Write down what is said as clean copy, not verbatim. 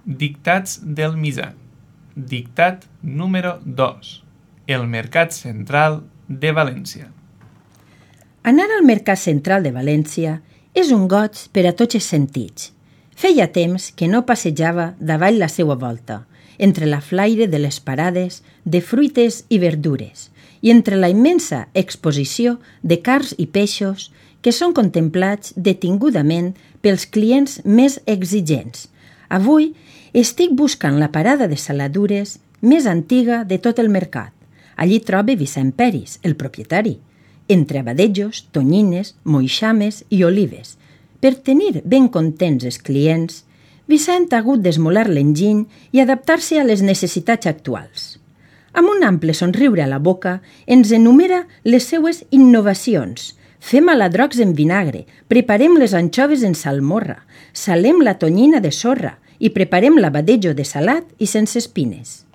Dictats del Misa. Dictat número 2. El Mercat Central de València. Anar al Mercat Central de València és un goig per a tots els sentits. Feia temps que no passejava davall la seua volta, entre la flaire de les parades de fruites i verdures i entre la immensa exposició de carns i peixos que són contemplats detingudament pels clients més exigents. Avui estic buscant la parada de saladures més antiga de tot el mercat. Allí trobe Vicent Peris, el propietari, entre abadejos, tonyines, moixames i olives. Per tenir ben contents els clients, Vicent ha hagut d'esmolar l'enginy i adaptar-se a les necessitats actuals. Amb un ample somriure a la boca, ens enumera les seues innovacions. Fem aladrocs en vinagre, preparem les anxoves en salmorra, salem la tonyina de sorra i preparem l'abadejo de salat i sense espines.